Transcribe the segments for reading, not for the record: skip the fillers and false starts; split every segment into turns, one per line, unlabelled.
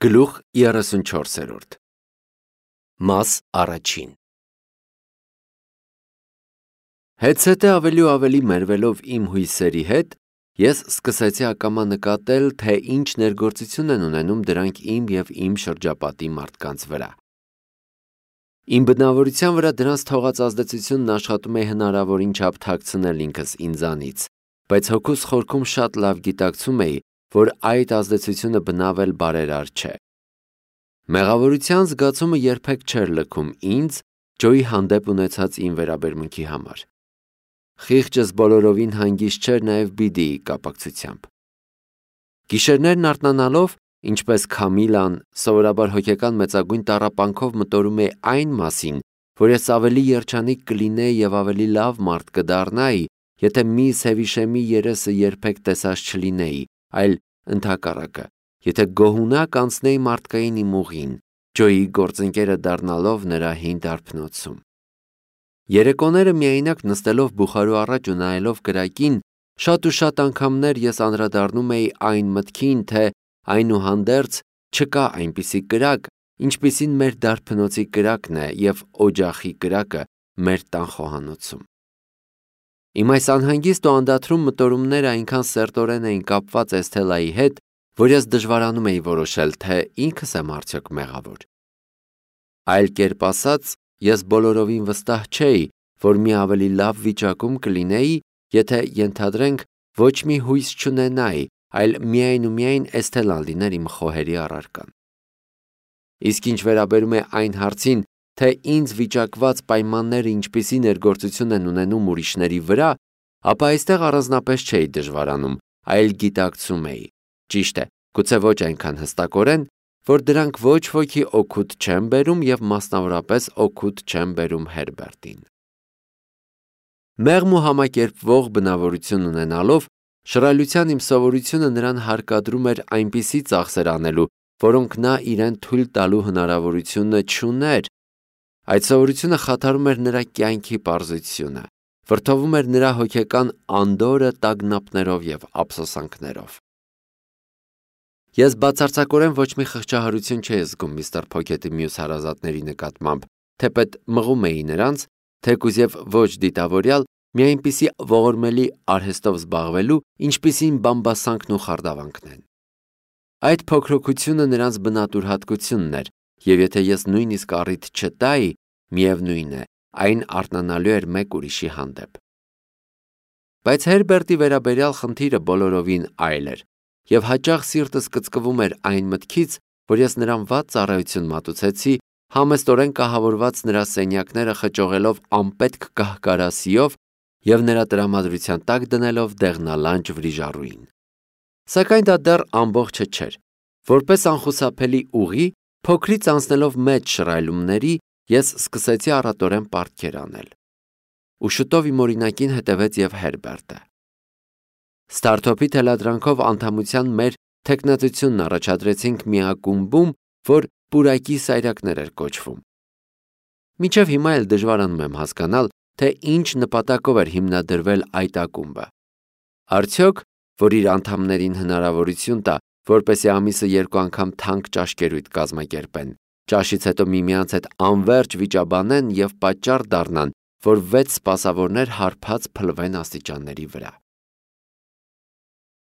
Գլուխ 34 Մաս առաջին Հետսետե ավելի ու ավելի մերվելով իմ հույսերի հետ, ես սկսեցի ակամա նկատել, թե ինչ ներգործություն են ունենում դրանք իմ և իմ շրջապատի մարդկանց վրա։ Իմ բնավորության վրա դրանց թողած ազդեցությունն աշխատում է հնարավորին չափ թաքցնել ինքս ինձանից, բայց հոգուս խորքում շատ լավ գիտակցում էի, որ այդ ազդեցությունը բնավել բարերար չէ։ Մեղավորության զգացումը երբեք չէր լքում ինձ Ջոյի հանդեպ ունեցած իմ վերաբերմունքի համար։ Խիղճս բոլորովին հանգիստ չէր նաև Բիդիի կապակցությամբ։ Գիշերներն արթնանալով, ինչպես Քամիլան, սովորաբար հոգեկան մեծագույն տառապանքով մտորում է այն մասին, որ ես ավելի երջանիկ կլինեի և ավելի լավ մարդ կդառնայի, եթե միս Հևիշեմի երեսը երբեք տեսած չլինեի, այլ ընդհակառակը, եթե գոհունակ անցնեի մարդկային իմ ուղին, Ջոյի գործընկերը դառնալով նրա հին դարբնոցում։ Երեկոները միայնակ նստելով բուխարու առաջ ու նայելով կրակին, շատ ու շատ անգամներ ես անդրադառնում էի այն մտքին, թե այնուհանդերձ չկա այնպիսի կրակ, ինչպիսին մեր դարբնոցի կրակն է և օջախի կրակը մեր տան խոհանոցում։ Իմ այս անհանգիստ ու անդադրուն մտորումները այնքան սերտորեն էին կապված Էսթելայի հետ, որ ես դժվարանում էի որոշել, թե ինքս եմ արդյոք մեղավոր։ Այլ կերպ ասած, ես բոլորովին վստահ չէի, որ մի ավելի լավ վիճակում կլինեի, եթե ենթադրենք ոչ մի հույս չունենայի, այլ միայն ու միայն Էսթելան լիներ իմ խոհերի առարկան։ Իսկ ինչ վերաբերում է այն հարցին, թե ինձ վիճակված պայմանները ինչպիսի ներգործություն են ունենում ուրիշների վրա, ապա այստեղ առանձնապես չէի դժվարանում, այլ գիտակցում էի, ճիշտ է, գուցե ոչ այնքան հստակորեն, որ դրանք ոչ ոքի օգուտ չեն բերում և մասնավորապես օգուտ չեն բերում Հերբերտին։ Մեղմ ու համակերպվող բնավորություն ունենալով, շռայլության իմ սովորությունը նրան հարկադրում էր այնպիսի ծախսեր անելու, որոնք նա իրեն թույլ տալու հնարավորությունը չուներ։ Այդ սովորությունը խաթարում էր նրա կյանքի պարզությունը, վրդովում էր նրա հոգեկան անդորրը տագնապներով և ափսոսանքներով։ Ես բացարձակորեն ոչ մի խղճահարություն չէի զգում միստր Փոքեթի մյուս հարազատների նկատմամբ, թեպետ մղում էի նրանց, թեկուզ և ոչ դիտավորյալ, մի այնպիսի ողորմելի արհեստով զբաղվելու, ինչպիսին բամբասանքն ու խարդավանքն են։ Այդ փոքրոքությունը նրանց բնատուր հատկությունն էր, և եթե ես նույնիսկ առիթ չտայի, միևնույն է, այն արթնանալու էր մեկ ուրիշի հանդեպ։ Բայց Հերբերտի վերաբերյալ խնդիրը բոլորովին այլ էր, և հաճախ սիրտս կծկվում էր այն մտքից, որ ես նրան վատ ծառայություն մատուցեցի, համեստորեն կահավորված նրա սենյակները խճողելով անպետք կահկարասիով և նրա տրամադրության տակ դնելով դեղնալանջ վրիժառուին։ Սակայն դա դեռ ամբողջը չէր։ Որպես անխուսափելի ուղի, փոքրից անցնելով մեծ շռայլումների, ես սկսեցի առատորեն պարտքեր անել։ Ու շուտով իմ օրինակին հետևեց և Հերբերտը։ Ստարտոփի թելադրանքով անդամության մեր թեկնածությունն առաջադրեցինք մի ակումբում, որ պուրակի սայրակներ էր կոչվում։ Մինչև հիմա էլ դժվարանում եմ հասկանալ, թե ինչ նպատակով էր հիմնադրվել այդ ակումբը։ Արդյոք, որ իր անդամներին հնարավորություն տա, որպեսզի ամիսը 2 անգամ թանկ ճաշկերույթ կազմակերպեն, ճաշից հետո միմյանց հետ անվերջ վիճաբանեն և պատճառ դառնան, որ 6 սպասավորներ հարբած փլվեն աստիճանների վրա։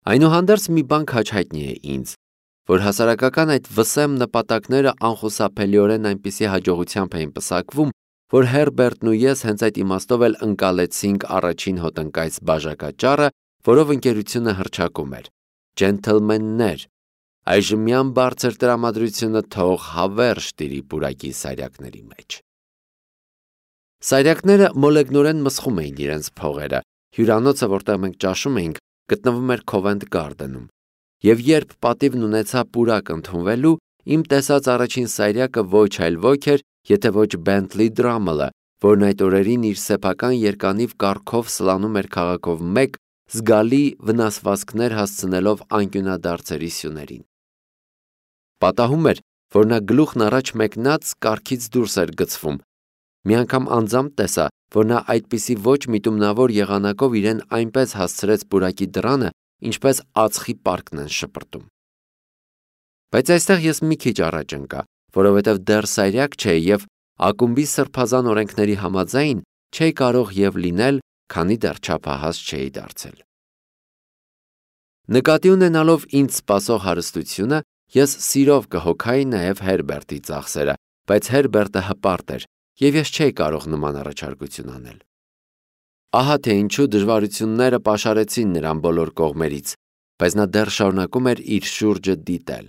Այնուհանդերձ մի բան քաջ հայտնի է ինձ, որ հասարակական այդ վսեմ նպատակները անխուսափելիորեն այնպիսի հաջողությամբ էին պսակվում, որ Հերբերտն ու ես հենց այդ իմաստով էլ ընկալեցինք առաջին հոտնկայց բաժակաճառը, որով ընկերությունը հռչակում էր. «Ջենթլմեններ, այժմյան բարձր տրամադրությունը թող հավերժ տիրի պուրակի սայրակների մեջ»։ Սայրակները մոլեգնորեն մսխում էին իրենց փողերը, հյուրանոցը, որտեղ մենք ճաշում էինք, գտնվում էր Քովենթ Գարդենում, և երբ պատիվն ունեցա պուրակ ընդունվելու, իմ տեսած առաջին սայրակը ոչ այլ ոք էր, եթե ոչ Բենթլի Դրամլը, որն այդ օրերին իր սեփական երկանիվ կառքով սլանում էր քաղաքով մեկ, զգալի վնասվածքներ հասցնելով անկյունադարձերի սյուներին։ Պատահում էր, որ նա գլուխն առաջ մեկնած կառքից դուրս էր գցվում։ Մի անգամ անձամբ տեսա, որ նա այդպիսի ոչ միտումնավոր եղանակով իրեն այնպես հասցրեց պուրակի դռանը, ինչպես ածխի պարկն են շպրտում։ Բայց այստեղ ես մի քիչ առաջ ընկա, որովհետև դեռ սայրակ չէի և ակումբի սրբազան օրենքների համաձայն չէի կարող և լինել, քանի դեռ չափահաս չէի դարձել։ Նկատի ունենալով ինձ սպասող հարստությունը, ես սիրով կհոգայի նաև Հերբերտի ծախսերը, բայց Հերբերտը հպարտ էր, և ես չէի կարող նման առաջարկություն անել։ Ահա թե ինչու դժվարությունները պաշարեցին նրան բոլոր կողմերից, բայց նա դեռ շարունակում էր իր շուրջը դիտել։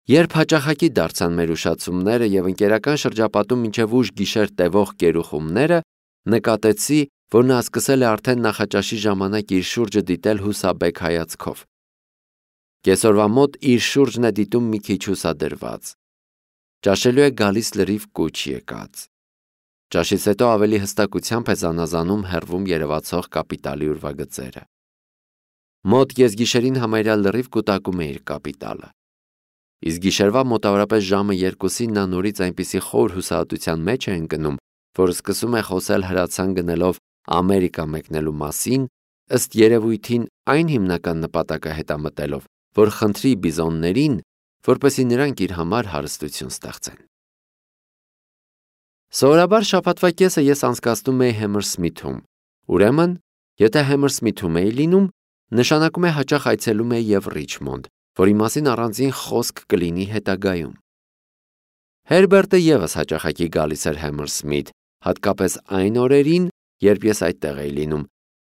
Երբ հաճախակի դարձան մեր ուշացումները և ընկերական շրջապատում մինչև ուշ գիշեր տևող կերուխումները, նկատեցի, որ նա սկսել է արդեն նախաճաշի ժամանակ իր շուրջը դիտել հուսաբեկ հայացքով։ Կեսօրվա մոտ իր շուրջն է դիտում մի քիչ հուսադրված։ Ճաշելու է գալիս լրիվ կուչ եկած։ Ճաշից հետո ավելի հստակությամբ է զանազանում հեռվում երևացող կապիտալի ուրվագծերը։ Մոտ կեսգիշերին համարյա լրիվ կուտակում է իր կապիտալը։ Իսկ գիշերվա մոտավորապես ժամը 2-ին նա նորից այնպիսի խոր հուսահատության մեջ է ընկնում, որ սկսում է խոսել հրացան գնելով Ամերիկա մեկնելու մասին, ըստ երևույթին այն հիմնական նպատակը հետամտելով, որ խնդրի բիզոններին, որպեսզի նրանք իր համար հարստություն ստեղծեն։ Սովորաբար շաբաթվա կեսը ես անցկացնում էի Համերսմիթում, ուրեմն, եթե Համերսմիթում էի լինում, նշանակում է հաճախ այցելում էի և Ռիչմոնդ, որի մասին առանձին խոսք կլինի հետագայում։ Հերբերտը ևս հաճախակի գալիս էր Համերսմիթ, հատկապես այն օրերին, երբ ես այդտեղ էի լինում,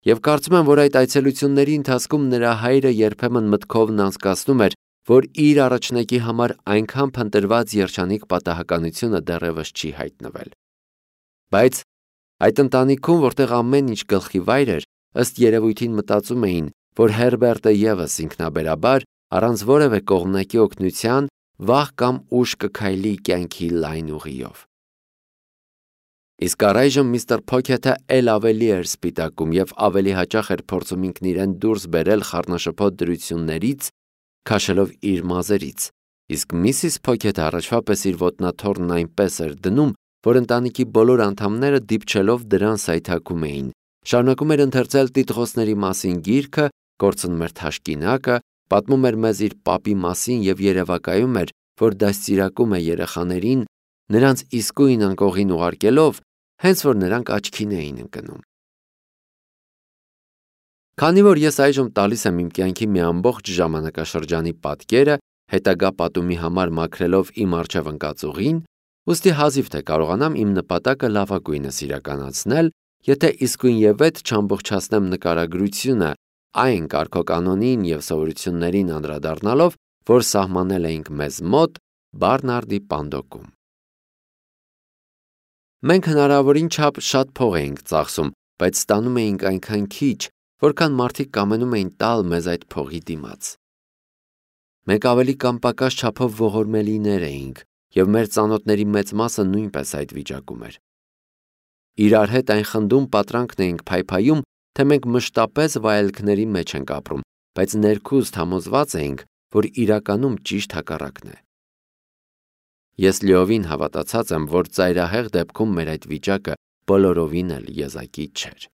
և կարծում եմ, որ այդ այցելությունների ընթացքում նրա հայրը երբեմն մտքովն անցկացնում էր, որ իր առաջնակի համար այնքան փնտրված երջանիկ պատահականությունը դեռևս չի հայտնվել։ Բայց այդ ընտանիքում, որտեղ ամեն ինչ գլխի վայր էր, ըստ երևույթին մտածում էին, որ Հերբերտը ևս ինքնաբերաբար, առանց որևէ կողմնակի օգնության, վաղ կամ ուշ կքայլի կյանքի լայն ուղիով։ Իսկ առայժմ միստր Փոքեթը էլ ավելի էր սպիտակում և ավելի հաճախ էր փորձում ինքն իրեն դուրս բերել խառնաշփոթ դրություններից, քաշելով իր մազերից, իսկ Միսիս Փոքեթը առաջվա պես իր ոտնաթոռն այնպես էր դնում, որ ընտանիքի բոլոր անդամները դիպչելով դրան սայթաքում էին, շարունակում էր ընթերցել տիտղոսների մասին գիրքը, կորցնում էր թաշկինակը, պատմում էր մեզ իր պապի մասին և երևակայում էր, որ դաստիարակում է երեխաներին, նրանց իսկույն անկողին ուղարկելով, հենց որ նրանք աչքին էին ընկնում։ Քանի որ ես այժմ տալիս եմ իմ կյանքի մի ամբողջ ժամանակաշրջանի պատկերը, հետագա պատումի համար մաքրելով իմ առջև ընկած ուղին, ուստի հազիվ թե կարողանամ իմ նպատակը լավագույնս իրականացնել, եթե իսկույնևեթ չամբողջացնեմ նկարագրությունը այն կարգոկանոնին և սովորություններին անդրադառնալով, որ սահմանել էինք մեզ մոտ Բարնարդի Պանդոկում։ Մենք հնարավորին չափ շատ փող էինք ծախսում, բայց ստանում էինք այնքան քիչ, որքան մարդիկ կամենում էին տալ մեզ այդ փողի դիմաց։ Մենք ավելի կամ պակաս չափով ողորմելիներ էինք, և մեր ծանոթների մեծ մասը նույնպես այդ վիճակում էր։ Իրար հետ այն խնդում պատրանքն էինք փայփայում, թե մենք մշտապես վայելքների մեջ ենք ապրում, բայց ներքուստ համոզված էինք, որ իրականում ճիշտ հակառակն է։ Ես լիովին հավատացած եմ, որ ծայրահեղ դեպքում մեր այդ վիճակը բոլորովին էլ եզակի չէր։